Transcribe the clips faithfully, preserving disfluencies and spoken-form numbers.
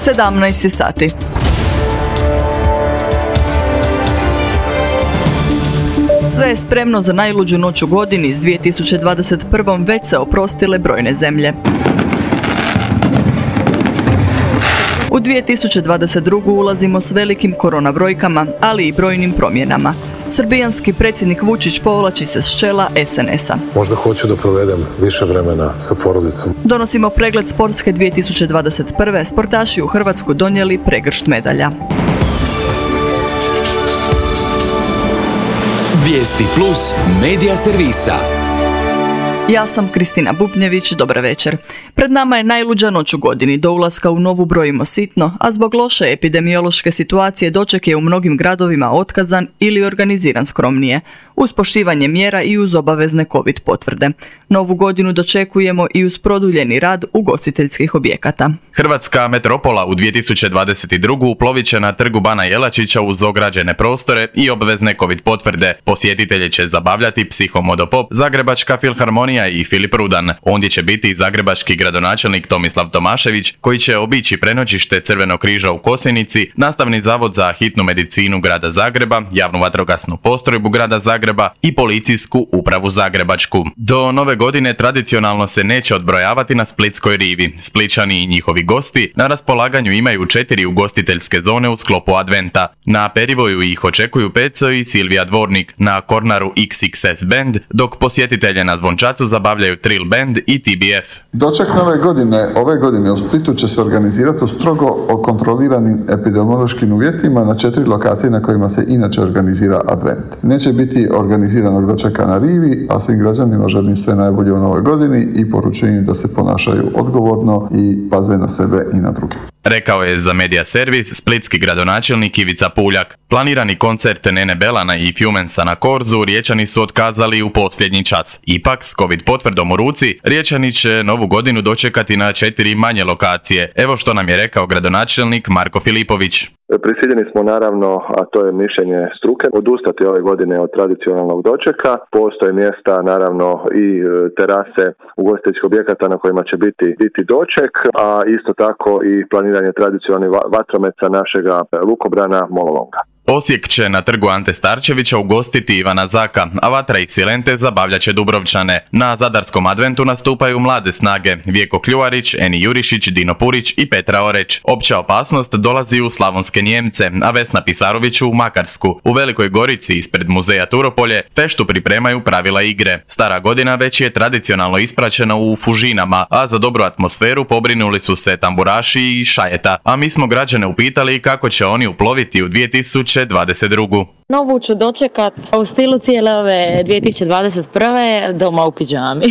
sedamnaest sati. Sve je spremno za najluđu noć u godini. S dvije tisuće dvadeset prve. već se oprostile brojne zemlje. U dvije tisuće dvadeset drugu. ulazimo s velikim korona brojkama, ali i brojnim promjenama. Srbijanski predsjednik Vučić povlači se s čela es en es a. Možda hoću da provedem više vremena sa porodicom. Donosimo pregled sportske dvije tisuće dvadeset prve. Sportaši u Hrvatsku donijeli pregršt medalja. Vijesti plus medija servisa. Ja sam Kristina Bubnjević, dobar večer. Pred nama je najluđa noć u godini. Do ulaska u novu brojimo sitno, a zbog loše epidemiološke situacije doček je u mnogim gradovima otkazan ili organiziran skromnije, uz poštivanje mjera i uz obavezne covid potvrde. Novu godinu dočekujemo i uz produljeni rad ugostiteljskih objekata. Hrvatska metropola u dvije tisuće dvadeset druge. uplovit će na trgu Bana Jelačića uz ograđene prostore i obvezne covid potvrde. Posjetitelje će zabavljati Psihomodopop, Zagrebačka filharmonija i Filip Rudan. Ondje će biti i zagrebački gradonačelnik Tomislav Tomašević, koji će obići prenoćište Crvenog križa u Kosenici, Nastavni zavod za hitnu medicinu grada Zagreba, javnu vatrogasnu postrojbu grada Zagreba i policijsku upravu Zagrebačku. Do nove godine tradicionalno se neće odbrojavati na Splitskoj rivi. Splićani i njihovi gosti na raspolaganju imaju četiri ugostiteljske zone u sklopu adventa. Na Perivoju ih očekuju Peco i Silvija Dvornik, na Kornaru iks iks es Band, dok posjetitelje na Zvončacu zabavljaju Trill Band i ti bi ef. Doček nove godine, ove godine u Splitu će se organizirati u strogo kontroliranim epidemiološkim uvjetima na četiri lokacije na kojima se inače organizira advent. Neće biti organiziranog dočeka na rivi, a svim građanima želim sve najbolje u novoj godini i poručujem da se ponašaju odgovorno i paze na sebe i na druge. Rekao je za Medija servis splitski gradonačelnik Ivica Puljak. Planirani koncert Nene Belana i Fjumensa na Korzu Riječani su otkazali u posljednji čas. Ipak, s covid potvrdom u ruci, Riječani će novu godinu dočekati na četiri manje lokacije. Evo što nam je rekao gradonačelnik Marko Filipović. Prisiljeni smo naravno, a to je mišljenje struke, odustati ove godine od tradicionalnog dočeka. Postoje mjesta, naravno i terase ugostiteljskih objekata na kojima će biti, biti doček, a isto tako i planiranje tradicionalnih vatromeca našega lukobrana Mololonga. Osijek će na trgu Ante Starčevića ugostiti Ivana Zaka, a Vatra i Silente zabavljat će Dubrovčane. Na zadarskom adventu nastupaju mlade snage Vjeko Kljuvarić, Eni Jurišić, Dino Purić i Petra Oreć. Opća opasnost dolazi u Slavonske Njemce, a Vesna Pisarović u Makarsku. U Velikoj Gorici ispred muzeja Turopolje feštu pripremaju pravila igre. Stara godina već je tradicionalno ispraćena u Fužinama, a za dobru atmosferu pobrinuli su se tamburaši i šajeta. A mi smo građane upitali kako će oni uploviti u dvije tisuće dvadeset druge. Novu ću dočekat u stilu cijele ove dvije tisuće dvadeset prve. doma u pidžami.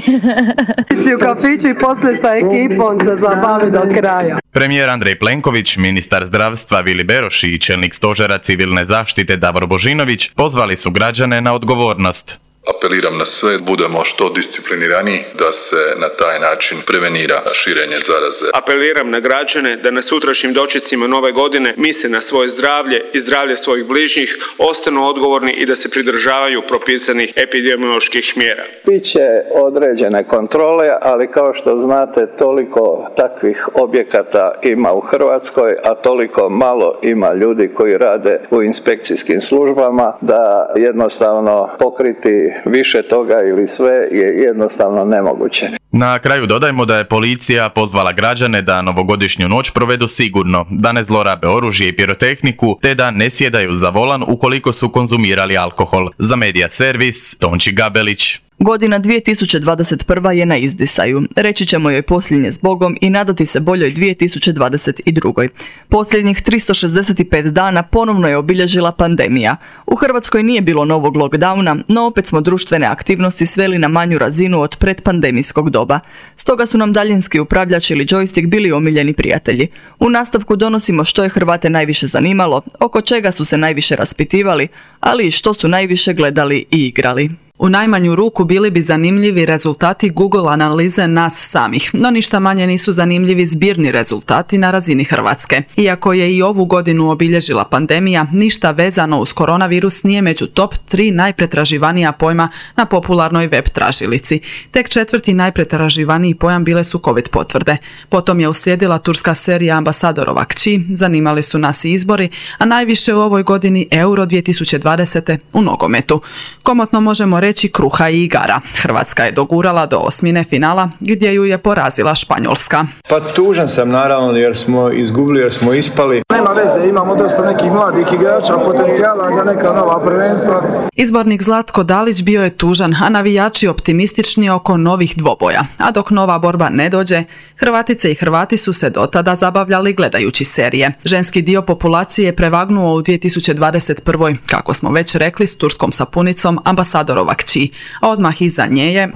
U kafiću i poslije sa ekipom se zabavi do kraja. Premijer Andrej Plenković, ministar zdravstva Vili Beroš i čelnik stožera civilne zaštite Davor Božinović pozvali su građane na odgovornost. Apeliram na sve, budemo što discipliniraniji da se na taj način prevenira širenje zaraze. Apeliram na građane da na sutrašnjim dočecima nove godine misle na svoje zdravlje i zdravlje svojih bližnjih, ostanu odgovorni i da se pridržavaju propisanih epidemioloških mjera. Biće određene kontrole, ali kao što znate, toliko takvih objekata ima u Hrvatskoj, a toliko malo ima ljudi koji rade u inspekcijskim službama da jednostavno pokriti više toga ili sve je jednostavno nemoguće. Na kraju dodajmo da je policija pozvala građane da novogodišnju noć provedu sigurno, da ne zlorabe oružje i pirotehniku, te da ne sjedaju za volan ukoliko su konzumirali alkohol. Za Medija servis, Tonči Gabelić. Godina dvije tisuće dvadeset prve. je na izdisaju. Reći ćemo joj posljednje s Bogom i nadati se boljoj dvije tisuće dvadeset druge. Posljednjih tristo šezdeset pet dana ponovno je obilježila pandemija. U Hrvatskoj nije bilo novog lockdowna, no opet smo društvene aktivnosti sveli na manju razinu od predpandemijskog doba. Stoga su nam daljinski upravljač ili joystick bili omiljeni prijatelji. U nastavku donosimo što je Hrvate najviše zanimalo, oko čega su se najviše raspitivali, ali i što su najviše gledali i igrali. U najmanju ruku bili bi zanimljivi rezultati Google analize nas samih, no ništa manje nisu zanimljivi zbirni rezultati na razini Hrvatske. Iako je i ovu godinu obilježila pandemija, ništa vezano uz koronavirus nije među top tri najpretraživanija pojma na popularnoj web tražilici. Tek četvrti najpretraživaniji pojam bile su COVID potvrde. Potom je uslijedila turska serija Ambasadorova kći, zanimali su nas i izbori, a najviše u ovoj godini Euro dvije tisuće dvadesete u nogometu. Komotno možemo reći kruha i igara. Hrvatska je dogurala do osmine finala gdje ju je porazila Španjolska. Pa tužan sam naravno jer smo izgubili, jer smo ispali. Nema veze, imamo dosta nekih mladih igrača, potencijala za neka nova prvenstva. Izbornik Zlatko Dalić bio je tužan, a navijači optimistični oko novih dvoboja. A dok nova borba ne dođe, Hrvatice i Hrvati su se dotada zabavljali gledajući serije. Ženski dio populacije je prevagnuo u dvije tisuće dvadeset prvoj, kako smo već rekli, s turskom sapunicom Ambasadorova kći, a odmah iza nje je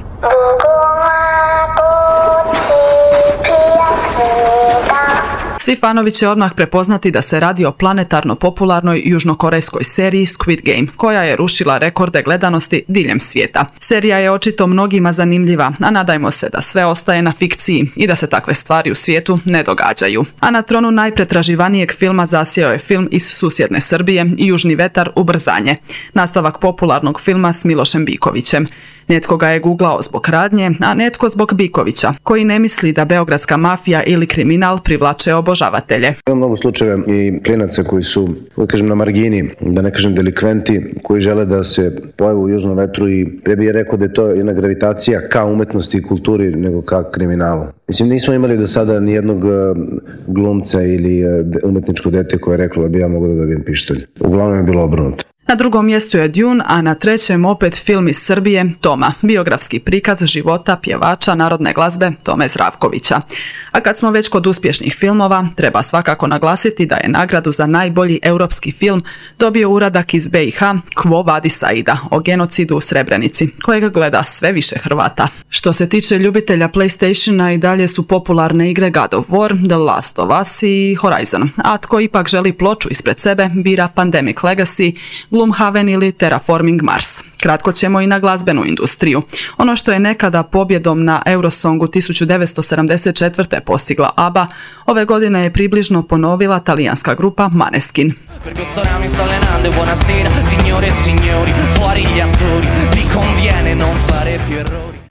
Svi fanovi će odmah prepoznati da se radi o planetarno popularnoj južnokorejskoj seriji Squid Game, koja je rušila rekorde gledanosti diljem svijeta. Serija je očito mnogima zanimljiva, a nadajmo se da sve ostaje na fikciji i da se takve stvari u svijetu ne događaju. A na tronu najpretraživanijeg filma zasjeo je film iz susjedne Srbije i Južni vetar ubrzanje, nastavak popularnog filma s Milošem Bikovićem. Netko ga je googlao zbog radnje, a netko zbog Bikovića, koji ne misli da beogradska mafija ili kriminal privlače obožavatelje. Ima mnogo slučajeva i klinaca koji su, da kažem, na margini, da ne kažem delikventi, koji žele da se pojave u Južnom vetru i pre bih rekao da je to jedna gravitacija ka umetnosti i kulturi nego ka kriminalu. Mislim, nismo imali do sada ni jednog glumca ili umetničko dete koje je reklo da bi ja mogao da dobijem pištolj. Uglavnom je bilo obrnuto. Na drugom mjestu je Dune, a na trećem opet film iz Srbije, Toma, biografski prikaz života pjevača narodne glazbe Tome Zdravkovića. A kad smo već kod uspješnih filmova, treba svakako naglasiti da je nagradu za najbolji europski film dobio uradak iz B i H Quo Vadis Aida o genocidu u Srebrenici, kojeg gleda sve više Hrvata. Što se tiče ljubitelja PlayStationa, i dalje su popularne igre God of War, The Last of Us i Horizon, a tko ipak želi ploču ispred sebe, bira Pandemic Legacy, Gloomhaven ili Terraforming Mars. Kratko ćemo i na glazbenu industriju. Ono što je nekada pobjedom na Eurosongu tisuću devetsto sedamdeset četvrte postigla ABBA, ove godine je približno ponovila talijanska grupa Maneskin.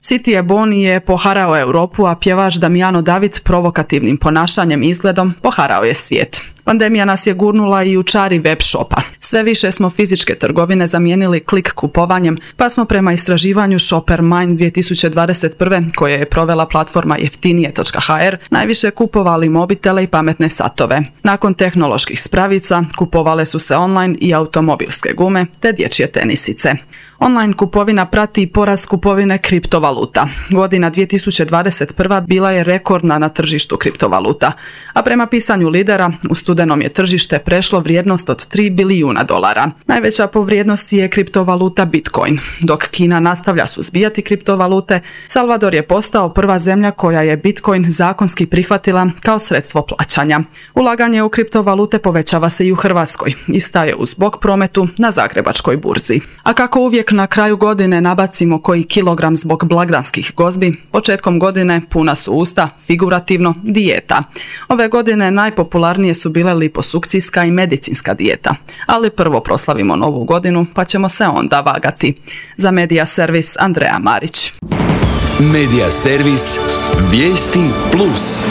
City e Boni je poharao Europu, a pjevač Damiano David provokativnim ponašanjem i izgledom poharao je svijet. Pandemija nas je gurnula i u čari web shopa. Sve više smo fizičke trgovine zamijenili klik kupovanjem, pa smo prema istraživanju Shopper Mind dvije tisuće dvadeset prve, koje je provela platforma jeftinije točka ha er, najviše kupovali mobitele i pametne satove. Nakon tehnoloških spravica, kupovale su se online i automobilske gume te dječje tenisice. Online kupovina prati porast kupovine kriptovaluta. Godina dvije tisuće dvadeset prva bila je rekordna na tržištu kriptovaluta, a prema pisanju lidera u studenom je tržište prešlo vrijednost od tri bilijuna dolara. Najveća po vrijednosti je kriptovaluta Bitcoin. Dok Kina nastavlja suzbijati kriptovalute, Salvador je postao prva zemlja koja je Bitcoin zakonski prihvatila kao sredstvo plaćanja. Ulaganje u kriptovalute povećava se i u Hrvatskoj i staje uz bok prometu na Zagrebačkoj burzi. A kako uvijek na kraju godine nabacimo koji kilogram zbog blagdanskih gozbi, početkom godine puna su usta, figurativno, dijeta. Ove godine najpopularnije su bile liposukcijska i medicinska dijeta, ali prvo proslavimo novu godinu pa ćemo se onda vagati. Za Medija servis Andreja Marić. Medija servis Vijesti plus.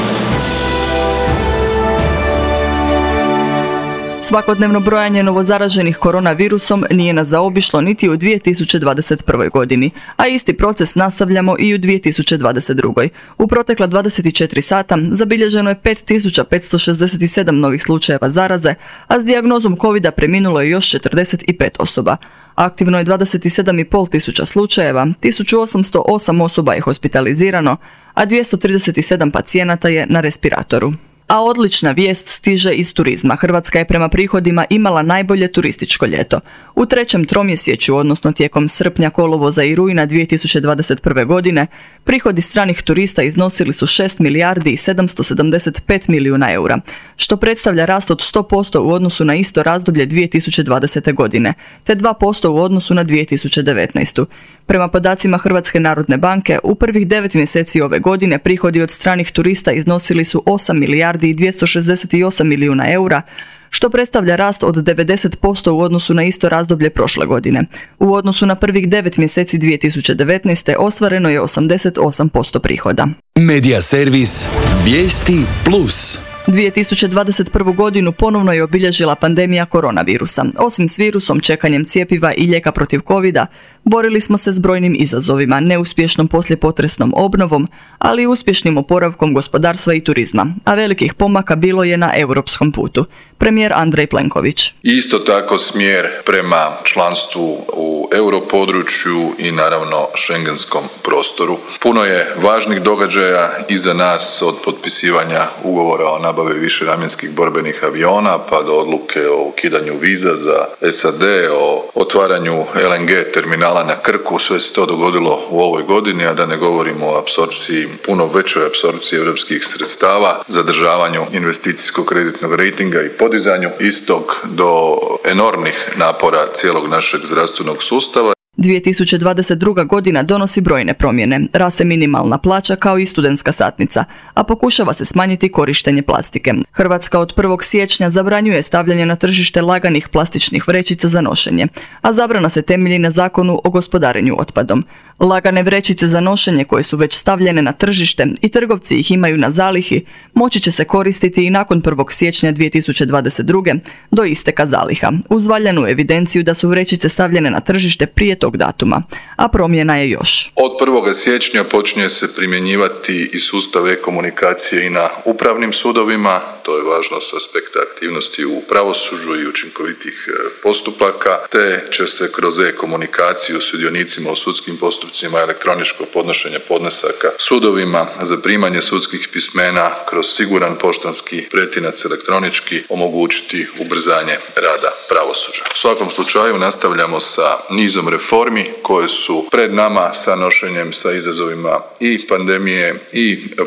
Svakodnevno brojanje novozaraženih koronavirusom nije nas zaobišlo niti u dvije tisuće dvadeset prvoj godini, a isti proces nastavljamo i u dvije tisuće dvadeset drugoj. U protekla dvadeset četiri sata zabilježeno je pet tisuća petsto šezdeset sedam novih slučajeva zaraze, a s dijagnozom kovida preminulo je još četrdeset pet osoba. Aktivno je dvadeset sedam i pol tisuća slučajeva, tisuću osamsto osam osoba je hospitalizirano, a dvjesto trideset sedam pacijenata je na respiratoru. A odlična vijest stiže iz turizma. Hrvatska je prema prihodima imala najbolje turističko ljeto. U trećem tromjesečju, odnosno tijekom srpnja, kolovoza i rujna dvije tisuće dvadeset prve godine, prihodi stranih turista iznosili su šest milijardi i sedamsto sedamdeset pet milijuna eura, što predstavlja rast od sto posto u odnosu na isto razdoblje dvije tisuće dvadesete godine, te dva posto u odnosu na dvije tisuće devetnaestu. Prema podacima Hrvatske narodne banke, u prvih devet mjeseci ove godine prihodi od stranih turista iznosili su osam milijardi i dvjesto šezdeset osam milijuna eura, što predstavlja rast od devedeset posto u odnosu na isto razdoblje prošle godine. U odnosu na prvih devet mjeseci dvije tisuće devetnaeste. ostvareno je osamdeset osam posto prihoda. Medija servis Vijesti plus. dvije tisuće dvadeset prvu. godinu ponovno je obilježila pandemija koronavirusa. Osim s virusom, čekanjem cjepiva i lijeka protiv covida, borili smo se s brojnim izazovima, neuspješnom poslijepotresnom obnovom, ali i uspješnim oporavkom gospodarstva i turizma, a velikih pomaka bilo je na europskom putu. Premijer Andrej Plenković. Isto tako smjer prema članstvu u europodručju i naravno šengenskom prostoru. Puno je važnih događaja iza nas, od potpisivanja ugovora o nabavi višenamjenskih borbenih aviona pa do odluke o ukidanju viza za S A D, o otvaranju L N G terminala na Krku. Sve se to dogodilo u ovoj godini, a da ne govorimo o apsorpciji, puno većoj apsorpciji europskih sredstava, zadržavanju investicijskog kreditnog rejtinga i podizanju istog, do enormnih napora cijelog našeg zdravstvenog sustava. dvije tisuće dvadeset druga. godina donosi brojne promjene. Raste minimalna plaća kao i studentska satnica, a pokušava se smanjiti korištenje plastike. Hrvatska od prvog siječnja zabranjuje stavljanje na tržište laganih plastičnih vrećica za nošenje, a zabrana se temelji na Zakonu o gospodarenju otpadom. Lagane vrećice za nošenje koje su već stavljene na tržište i trgovci ih imaju na zalihi, moći će se koristiti i nakon prvog siječnja dvije tisuće dvadeset druge. do isteka zaliha, uz valjanu evidenciju da su vrećice stavljene na tržište prije tog datuma, a promjena je još. Od prvog siječnja počinje se primjenjivati i sustav e-komunikacije i na upravnim sudovima. To je važno s aspekta aktivnosti u pravosuđu i učinkovitih postupaka, te će se kroz e-komunikaciju sudionicima u sudskim postupcima, elektroničko podnošenje podnesaka sudovima, zaprimanje sudskih pismena kroz siguran poštanski pretinac elektronički omogućiti ubrzanje rada pravosuđa. U svakom slučaju nastavljamo sa nizom reformi koje su pred nama, sa nošenjem sa izazovima i pandemije i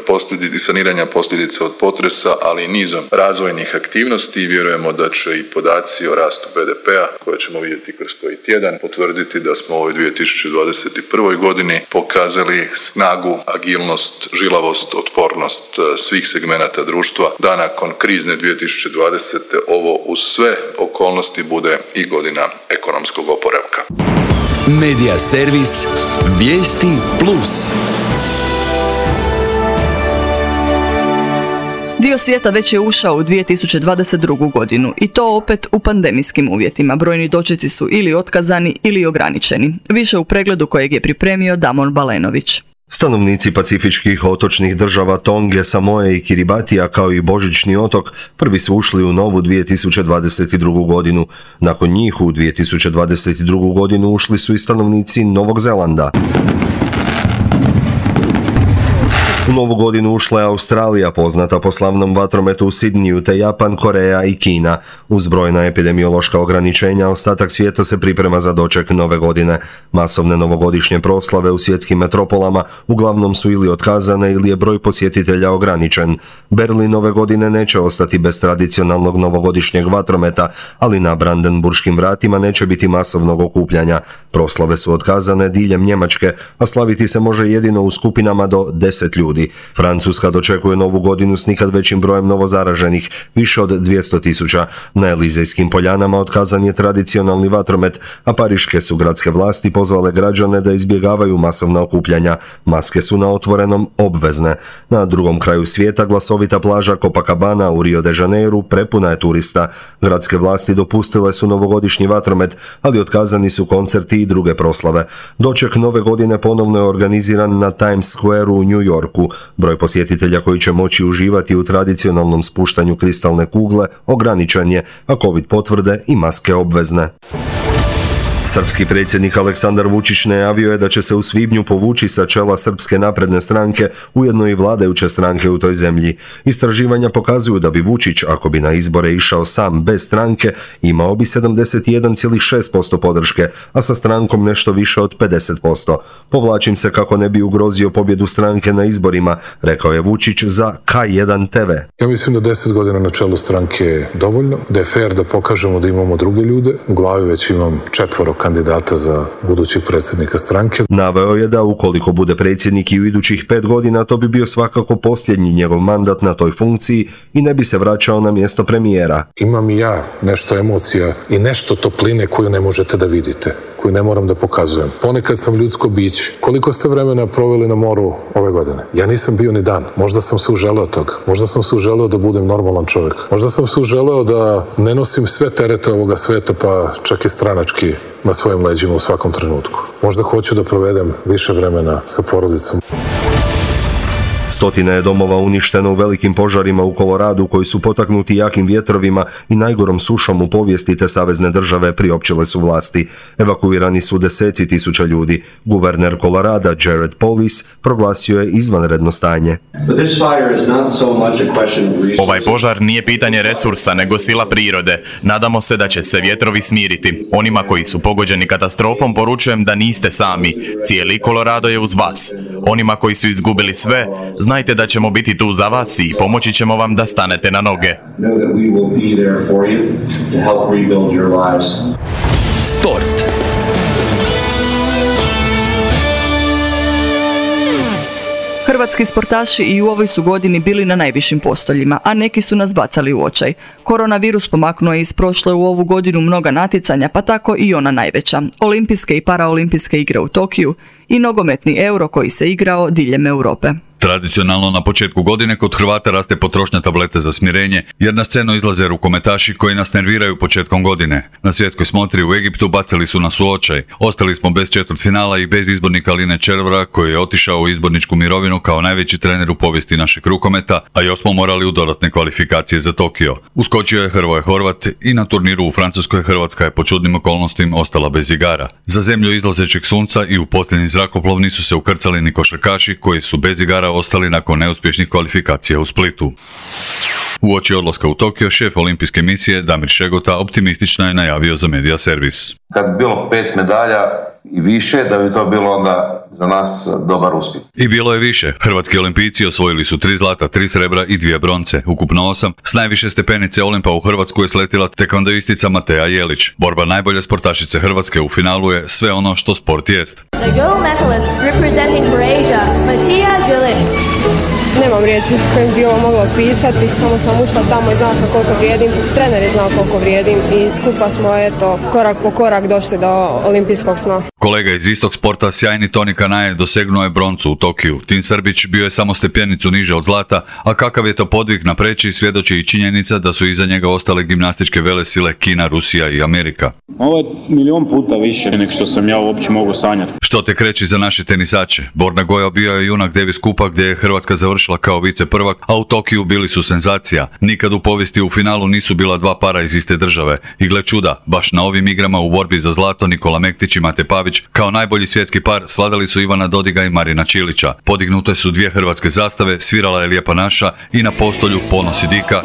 posljedica saniranja posljedica od potresa, ali i nizom razvojnih aktivnosti. Vjerujemo da će i podaci o rastu B D P-a koje ćemo vidjeti kroz koji tjedan potvrditi da smo u ovoj dvije tisuće dvadeset prvoj. godini pokazali snagu, agilnost, žilavost, otpornost svih segmenata društva, da nakon krizne dvije tisuće dvadesete. ovo uz sve okolnosti bude i godina ekonomskog oporavka. Medija servis Vijesti plus. Dio svijeta već je ušao u dvije tisuće dvadeset drugu. godinu i to opet u pandemijskim uvjetima. Brojni dočeci su ili otkazani ili ograničeni. Više u pregledu kojeg je pripremio Damon Balenović. Stanovnici pacifičkih otočnih država Tonge, Samoe i Kiribatija kao i Božićni otok prvi su ušli u novu dvije tisuće dvadeset drugu. godinu. Nakon njih u dvije tisuće dvadeset drugu. godinu ušli su i stanovnici Novog Zelanda. U novu godinu ušla je Australija, poznata po slavnom vatrometu u Sidniju, te Japan, Koreja i Kina. Uz brojna epidemiološka ograničenja, ostatak svijeta se priprema za doček nove godine. Masovne novogodišnje proslave u svjetskim metropolama uglavnom su ili otkazane ili je broj posjetitelja ograničen. Berlin ove godine neće ostati bez tradicionalnog novogodišnjeg vatrometa, ali na Brandenburškim vratima neće biti masovnog okupljanja. Proslave su otkazane diljem Njemačke, a slaviti se može jedino u skupinama do deset ljudi. Francuska dočekuje novu godinu s nikad većim brojem novozaraženih, više od dvjesto tisuća. Na Elizejskim poljanama otkazan je tradicionalni vatromet, a pariške su gradske vlasti pozvale građane da izbjegavaju masovna okupljanja. Maske su na otvorenom obvezne. Na drugom kraju svijeta glasovita plaža Copacabana u Rio de Janeiru prepuna je turista. Gradske vlasti dopustile su novogodišnji vatromet, ali otkazani su koncerti i druge proslave. Doček nove godine ponovno je organiziran na Times Square u New Yorku. Broj posjetitelja koji će moći uživati u tradicionalnom spuštanju kristalne kugle ograničen je, a covid potvrde i maske obvezne. Srpski predsjednik Aleksandar Vučić najavio je da će se u svibnju povući sa čela Srpske napredne stranke, ujedno i vladajuće stranke u toj zemlji. Istraživanja pokazuju da bi Vučić, ako bi na izbore išao sam bez stranke, imao bi sedamdeset jedan zarez šest posto podrške, a sa strankom nešto više od pedeset posto. Povlačim se kako ne bi ugrozio pobjedu stranke na izborima, rekao je Vučić za K jedan te ve. Ja mislim da deset godina na čelu stranke je dovoljno, da je fair da pokažemo da imamo druge ljude. U glavi već imam četvoro kandidata za budućeg predsjednika stranke. Naveo je da ukoliko bude predsjednik i u idućih pet godina, to bi bio svakako posljednji njegov mandat na toj funkciji i ne bi se vraćao na mjesto premijera. Imam i ja nešto emocija i nešto topline koju ne možete da vidite, koju ne moram da pokazujem. Ponekad sam ljudsko biće. Koliko ste vremena proveli na moru ove godine? Ja nisam bio ni dan. Možda sam se uželeo toga. Možda sam se uželeo da budem normalan čovjek. Možda sam se uželeo da ne nosim sve terete ovoga sveta, pa čak i stranački na svojim leđima u svakom trenutku. Možda hoću da provedem više vremena sa porodicom. Stotina je domova uništeno u velikim požarima u Koloradu koji su potaknuti jakim vjetrovima i najgorom sušom u povijesti te savezne države priopćile su vlasti. Evakuirani su deseci tisuća ljudi. Guverner Kolorada Jared Polis proglasio je izvanredno stanje. Ovaj požar nije pitanje resursa, nego sila prirode. Nadamo se da će se vjetrovi smiriti. Onima koji su pogođeni katastrofom poručujem da niste sami. Cijeli Kolorado je uz vas. Onima koji su izgubili sve, znajte da ćemo biti tu za vas i pomoći ćemo vam da stanete na noge. Sport. Hrvatski sportaši i u ovoj su godini bili na najvišim postoljima, a neki su nas bacali u očaj. Koronavirus pomaknuo je iz prošle u ovu godinu mnoga natjecanja, pa tako i ona najveća. Olimpijske i paraolimpijske igre u Tokiju i nogometni Euro koji se igrao diljem Europe. Tradicionalno na početku godine kod Hrvata raste potrošnja tablete za smirenje, jer na scenu izlaze rukometaši koji nas nerviraju početkom godine. Na svjetskoj smotri u Egiptu bacili su nas u očaj. Ostali smo bez četvrtfinala i bez izbornika Line Červara koji je otišao u izborničku mirovinu kao najveći trener u povijesti našeg rukometa, a još smo morali u dodatne kvalifikacije za Tokio. Uskočio je Hrvoje Horvat i na turniru u Francuskoj Hrvatska je po čudnim okolnostima ostala bez igara. Za zemlju izlazećeg sunca i u posljednji zrakoplov nisu se ukrcali ni košarkaši koji su bez igara ostali nakon neuspješnih kvalifikacija u Splitu. Uoči odlaska u Tokio, šef olimpijske misije Damir Šegota optimistično je najavio za Media Servis. Kad bi bilo pet medalja i više, da bi to bilo onda za nas dobar uspjeh. I bilo je više. Hrvatski olimpijci osvojili su tri zlata, tri srebra i dvije bronce, ukupno osam. S najviše stepenice Olimpa u Hrvatsku je sletila tekvandoistica Mateja Jelić. Borba najbolje sportašice Hrvatske u finalu je sve ono što sport jest. The gold medalist representing Croatia, Mateja Jelić. Nemam riječi s kojim bi ovo mogla pisati, samo sam ušla tamo i znala sam koliko vrijedim, trener je znao koliko vrijedim i skupa smo eto korak po korak došli do olimpijskog sna. Kolega iz istog sporta, sjajni Toni Kanaje, dosegnuo je broncu u Tokiju. Tin Srbić bio je samo stepenicu niže od zlata, a kakav je to podvig na preći svjedoči i činjenica da su iza njega ostale gimnastičke velesile Kina, Rusija i Amerika. Ovo je milion puta više nego što sam ja uopće mogu sanjati. Što te kreći za naše tenisače? Borna Goja bio je junak Davis Kupa gdje je Hrvatska završila kao vice prvak, a u Tokiju bili su senzacija. Nikad u povijesti u finalu nisu bila dva para iz iste države. I gle čuda, baš na ovim igrama u borbi za zlato Nikola Mektić i Mate Pavić kao najbolji svjetski par svladali su Ivana Dodiga i Marina Čilića. Podignute su dvije hrvatske zastave, svirala je Lijepa naša i na postolju ponosi Dika.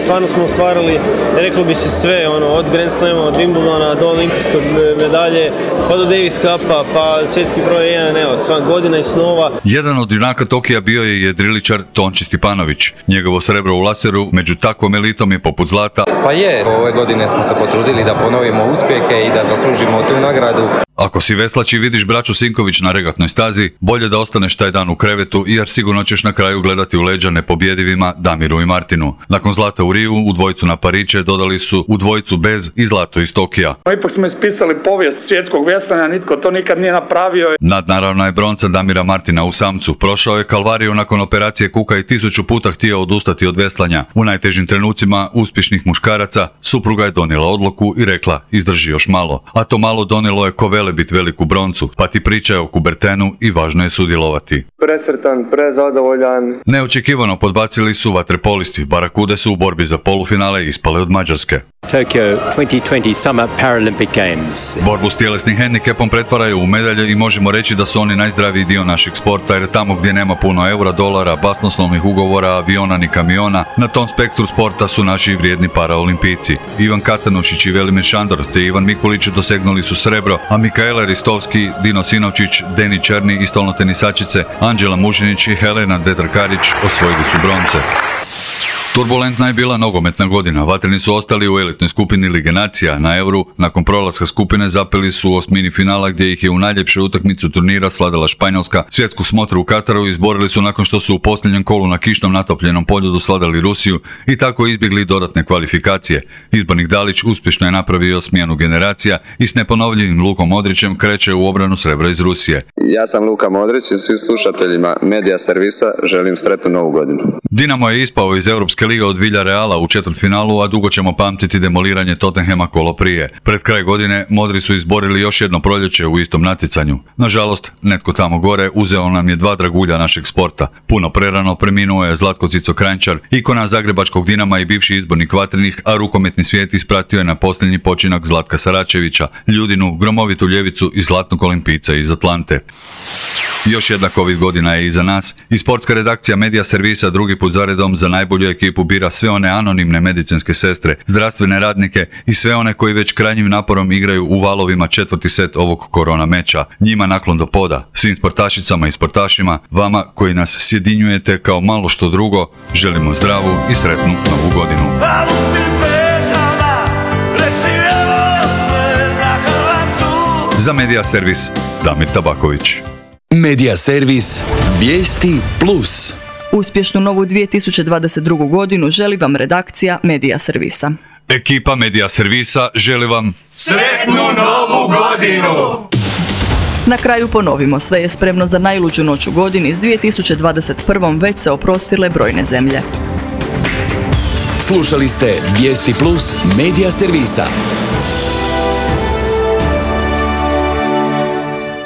Stvarno smo ostvarili, reklo bi se sve, ono, od Grand Slama, od Wimbledona do olimpijske medalje, pa do Davis Cupa, pa svjetski broj jedan, evo, sva godina i snova. Jedan od junaka Tokija bio je jedriličar Tonči Stipanović. Njegovo srebro u laseru među takvom elitom je poput zlata. Pa je, ove godine smo se potrudili da ponovimo uspjehe i da zaslužimo tu nagradu. Ako si veslač i vidiš braću Sinković na regatnoj stazi, bolje da ostaneš taj dan u krevetu jer sigurno ćeš na kraju gledati u leđa nepobjedivima Damiru i Martinu. Nakon zlata u Riju, u dvojicu na Pariće dodali su u dvojicu bez i zlato iz Tokija. Ipak smo ispisali povijest svjetskog veslanja, nitko to nikad nije napravio. Nadnaravna je bronca Damira Martina u samcu. Prošao je kalvariju nakon operacije kuka i tisuću puta htio odustati od veslanja. U najtežim trenucima uspješnih muškaraca supruga je donijela odluku i rekla izdrži još malo. A to malo donijelo je Kovele bit veliku broncu, pa ti pričaj o Kubertenu i važno je sudjelovati. Presretan, prezadovoljan. Neočekivano podbacili su vaterpolisti. Barakude su u borbi za polufinale ispale od Mađarske. Tokyo twenty twenty Summer Paralympic Games. Borbu s tjelesnim hendikepom pretvaraju u medalje i možemo reći da su oni najzdraviji dio našeg sporta jer tamo gdje nema puno eura, dolara, basnoslovnih ugovora, aviona ni kamiona, na tom spektru sporta su naši vrijedni paraolimpijci. Ivan Katanušić i Velimir Šandor te Ivan Mikulić dosegnuli su srebro, a Mikaela Ristovski, Dino Sinovčić, Deni Černi i stolnotenisačice Anđela Mužinić i Helena Detrkarić osvojili su bronce. Turbulentna je bila nogometna godina. Vatreni su ostali u elitnoj skupini Lige nacija. Na Euru, nakon prolaska skupine, zapeli su osmini finala gdje ih je u najljepšoj utakmicu turnira svladala Španjolska. Svjetsku smotru u Kataru izborili su nakon što su u posljednjem kolu na kišnom natopljenom poljudu svladali Rusiju i tako izbjegli dodatne kvalifikacije. Izbornik Dalić uspješno je napravio smjenu generacija i s neponovljivim Lukom Modrićem kreće u obranu srebra iz Rusije. Ja sam Luka Modrić i svim slušateljima Medija Servisa želim sretnu novu godinu. Dinamo je ispao iz Europske lige od Villareala u četvrtfinalu, a dugo ćemo pamtiti demoliranje Tottenhama kolo prije. Pred kraj godine Modri su izborili još jedno proljeće u istom natjecanju. Nažalost, netko tamo gore uzeo nam je dva dragulja našeg sporta. Puno prerano preminuo je Zlatko Cico Kranjčar, ikona zagrebačkog Dinama i bivši izbornik Vatrenih, a rukometni svijet ispratio je na posljednji počinak Zlatka Saračevića, Ljudinu, gromovitu ljevicu i zlatnog olimpijca iz Atlante. Još jedna covid godina je iza nas i sportska redakcija Medija Servisa drugi put zaredom za najbolju ekipu bira sve one anonimne medicinske sestre, zdravstvene radnike i sve one koji već krajnjim naporom igraju u valovima četvrti set ovog korona meča. Njima naklon do poda, svim sportašicama i sportašima, vama koji nas sjedinjujete kao malo što drugo, želimo zdravu i sretnu novu godinu. Za Medija Servis, Damir Tabaković. Medija Servis, Vijesti plus. Uspješnu novu dvije tisuće dvadeset drugu godinu želi vam redakcija Medija Servisa. Ekipa Medija Servisa želi vam sretnu novu godinu! Na kraju ponovimo, sve je spremno za najluđu noć u godini. S dvije tisuće dvadeset prvom već se oprostile brojne zemlje. Slušali ste Vijesti plus Medija Servisa.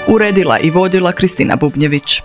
Uredila i vodila Kristina Bubnjević.